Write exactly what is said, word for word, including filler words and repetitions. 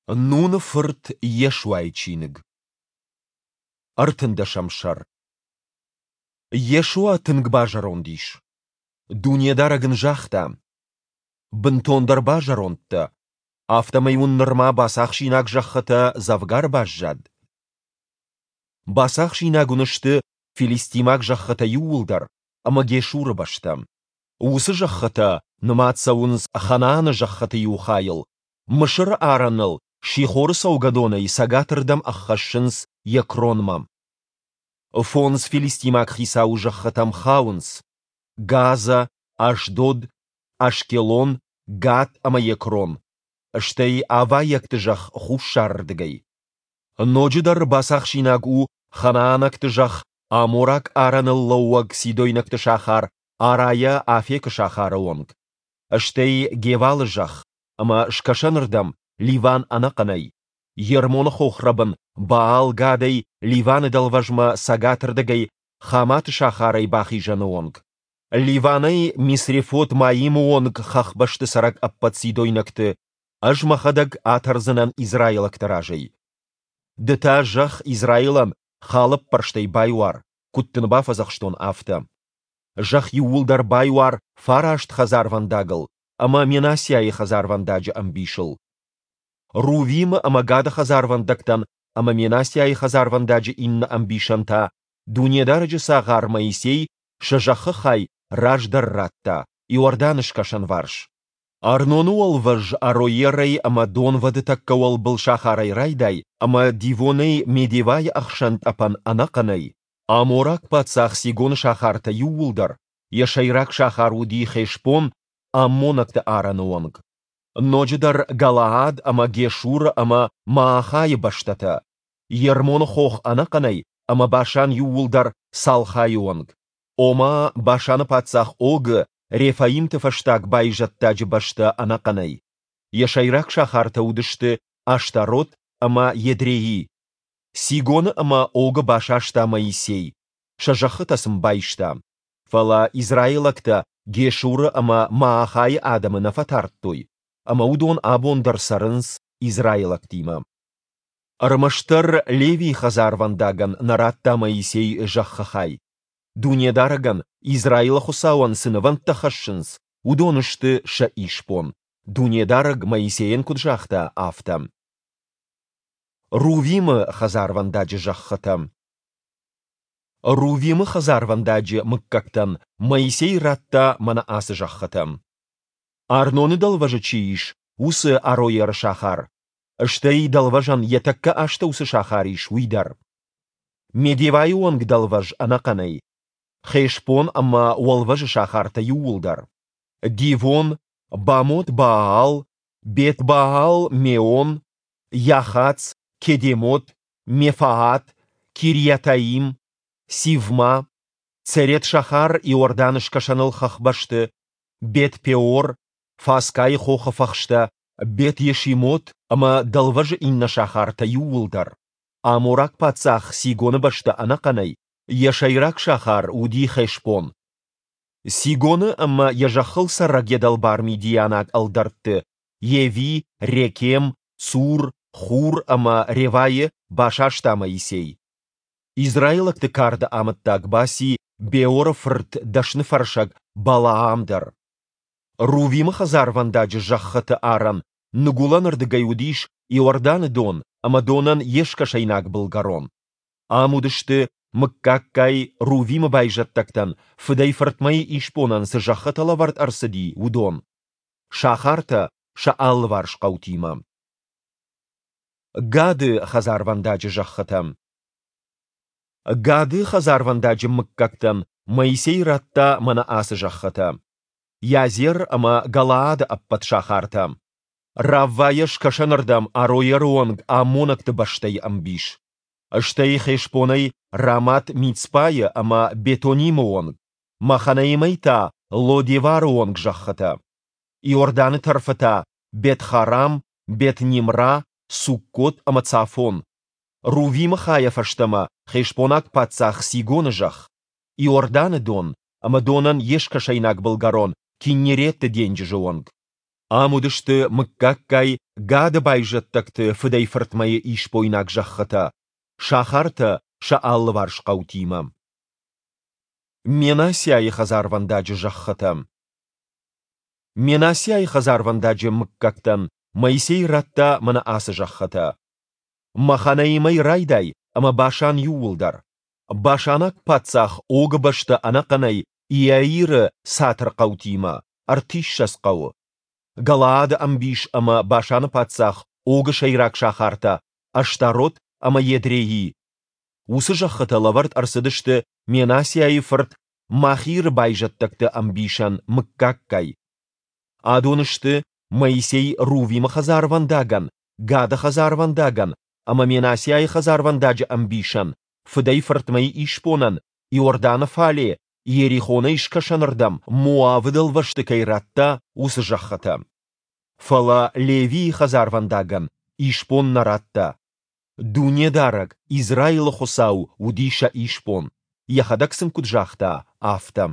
Нуны фырт Йешуайы чиныг. Ӕртындӕсӕм сӕр. Йешуа тынг базӕронд ис. Дунедарӕг ын загъта: «Бынтондӕр базӕронд дӕ, афтӕмӕй уын нырма бацахсинаг зӕххытӕ дзӕвгар баззад. Бацахсинаг уын сты филистимаг зӕххытӕ иууылдӕр ӕмӕ Гешуры бӕстӕ. Уыцы зӕххытӕ нымад цӕуынц Ханааны зӕххыты иу хайыл, Мысыры арӕныл Сихоры цӕугӕдонӕй цӕгатырдӕм ӕххӕссынц Екронмӕ. Фондз филистимаг хицауы зӕххытӕм хауынц: Газӕ, Ашдод, Ашкелон, Гат ӕмӕ Екрон, стӕй авайӕгты зӕхх хуссарырдыгӕй. Ноджыдӕр бацахсинаг у ханаанӕгты зӕхх амораг арӕныл лӕууӕг сидойнӕгты сахар Арайӕ Афекы сахары онг, стӕй Гевалы зӕхх ӕмӕ скӕсӕнырдӕм Ливан ӕнӕхъӕнӕй, Ермоны хохрӕбын Баал-Гадӕй Ливаны дӕлвӕзмӕ цӕгатырдыгӕй Хаматы сахарӕй бахизӕны онг, Ливанӕй Мисрефот-Маимы онг хӕхбӕсты цӕрӕг ӕппӕт сидойнӕгты Ӕз Мӕхӕдӕг атӕрдзынӕн израилӕгты разӕй. Ды та зӕхх Израилӕн халӕппӕрстӕй байуар, куыд дын бафӕдзӕхстон, афтӕ. Зӕхх иууылдӕр байуар фараст хӕдзарвӕндагыл ӕмӕ Менассиайы хӕдзарвӕндаджы ӕмбисыл. Рувимы ӕмӕ Гады хӕдзарвӕндӕгтӕн ӕмӕ Менассиайы хӕдзарвӕндаджы иннӕ ӕмбисӕн та Дунедарӕджы цагъар Моисей сӕ зӕххы хай раздӕр радта, Иорданы скӕсӕнварс, Арноны уӕлвӕз Ароерӕй ӕмӕ донвӕды тӕккӕ уӕлбыл сахарӕй райдай ӕмӕ Дивонӕй Медевӕйы ӕхсӕн тъӕпӕн ӕнӕхъӕнӕй, амораг паддзах Сигоны сахартӕ иууылдӕр, йӕ сӕйраг сахар уыди Хешбон, аммонӕгты арӕны онг. Ноджыдӕр Галаад ӕмӕ Гешуры ӕмӕ Маахайы бӕстӕтӕ, Ермоны хох ӕнӕхъӕнӕй ӕмӕ Башан иууылдӕр Салхайы онг, ома Башаны паддзах Огы, рефаимты фӕстаг байзӕддаджы бӕстӕ ӕнӕхъӕнӕй. Йӕ сӕйраг сахартӕ уыдысты Аштарот ӕмӕ Едреи. Сигоны ӕмӕ Огы басаста Моисей, сӕ зӕххытӕ сын байста. Фӕлӕ израилӕгтӕ Гешуры ӕмӕ Маахайы адӕмы нӕ фӕтардтой, ӕмӕ уыдон абон дӕр цӕрынц израилӕгтимӕ. Ӕрмӕстдӕр Левийы хӕдзарвӕндагӕн нӕ радта Моисей зӕххы хай. Дунедарӕгӕн, Израилы Хуыцауӕн цы нывӕндтӕ хӕссынц, уыдон сты сӕ исбон, Дунедарӕг Моисейӕн куыд загъта, афтӕ. Рувимы хӕдзарвӕндаджы зӕххытӕ. Рувимы хӕдзарвӕндаджы мыггӕгтӕн Моисей радта мӕнӕ ацы зӕххытӕ: Арноны дӕлвӕзы чи ис, уыцы Ароеры сахар, стӕй дӕлвӕзӕн йӕ тӕккӕ астӕу цы сахар ис, уый дӕр. Медевӕйы онг дӕлвӕз ӕнӕхъӕнӕй, Хешбон ӕмӕ уӕлвӕзы сахартӕ иууылдӕр, Дивон, Бамот-Баал, Бет-Баал-Меон, Йахац, Кедемот, Мефаат, Кирйатаим, Сивма, Церет-Сахар Иорданы скӕсӕныл хӕхбӕсты, Бет-Пеор, Фасгайы хохы фӕхстӕ, Бет-Йешимот ӕмӕ дӕлвӕзы иннӕ сахартӕ иууылдӕр, амораг паддзах Сигоны бӕстӕ ӕнӕхъӕнӕй, йӕ сӕйраг сахар уыди Хешбон. Сигоны ӕмӕ йӕ зӕххыл цӕрӕг йӕ дӕлбар мидианаг ӕлдӕртты Еви, Рекем, Цур, Хур ӕмӕ Ревӕйы басаста Моисей. Израилӕгты карды амӕттаг баци Беоры фырт дӕсныфӕрсӕг Балаам дӕр. Рувимы хӕдзарвӕндаджы зӕххыты арӕн ныгуылӕнырдыгӕй уыдис Иорданы дон ӕмӕ донӕн йе скӕсӕйнаг былгӕрон. Ам уыдысты, мыггаггай Рувимы байзӕддӕгтӕн фыдӕй-фыртмӕйы исбонӕн цы зӕххытӕ лӕвӕрд ӕрцыди, уыдон, сахартӕ сӕ алыварс хъӕутимӕ. Гады хӕдзарвӕндаджы зӕххытӕ. Гады хӕдзарвӕндаджы мыггӕгтӕн Моисей радта мӕнӕ ацы зӕххытӕ: Иазер ӕмӕ Галаады ӕппӕт сахартӕ, Раввайӕ скӕсӕнырдӕм Ароеры онг аммонӕгты бӕстӕйы ӕмбис, стӕй Хешбонӕй Рамат-Мицпайы ӕмӕ Бетонимы онг, Маханаимӕй та Ло-Девары онг зӕххытӕ, Иорданы тӕрфы та Бет-Харам, Бет-Нимра, Суккот ӕмӕ Цафон, Рувимы хайӕ фӕстӕмӕ хешбонаг паддзах Сигоны зӕхх, Иорданы дон ӕмӕ донӕн йе скӕсӕйнаг былгӕрон Киннереты денджызы онг. Ам уыдысты мыггаггай Гады байзӕддӕгты фыдӕй-фыртмӕйы исбойнаг зӕххытӕ, сахартӕ сӕ алыварс хъӕутимӕ. Менассиайы хӕдзарвӕндаджы зӕххытӕ. Менассиайы хӕдзарвӕндаджы мыггӕгтӕн Моисей радта мӕнӕ ацы зӕххытӕ: Маханаимӕй райдай ӕмӕ Башан иууылдӕр, башанаг паддзах Огы бӕстӕ ӕнӕхъӕнӕй Иаиры цатырхъӕутимӕ, ӕртиссӕдз хъӕуы, Галаады ӕмбис ӕмӕ Башаны паддзах Огы сӕйраг сахартӕ Аштарот ӕмӕ Едреи. Уыцы зӕххытӕ лӕвӕрд ӕрцыдысты Менассиайы фырт Махиры байзӕддӕгты ӕмбисӕн мыггаггай. Адон сты, Моисей Рувимы хӕдзарвӕндагӕн, Гады хӕдзарвӕндагӕн ӕмӕ Менассиайы хӕдзарвӕндаджы ӕмбисӕн фыдӕй-фыртмӕйы исбонӕн Иорданы фале Иерихонӕй скӕсӕнырдӕм Моавы дӕлвӕзты кӕй радта, уыцы зӕххытӕ. Фӕлӕ Левийы хӕдзарвӕндагӕн исбон нӕ радта. Дунедарӕг, Израилы Хуыцау, уыди сӕ исбон, Йӕхӕдӕг сын куыд загъта, афтӕ.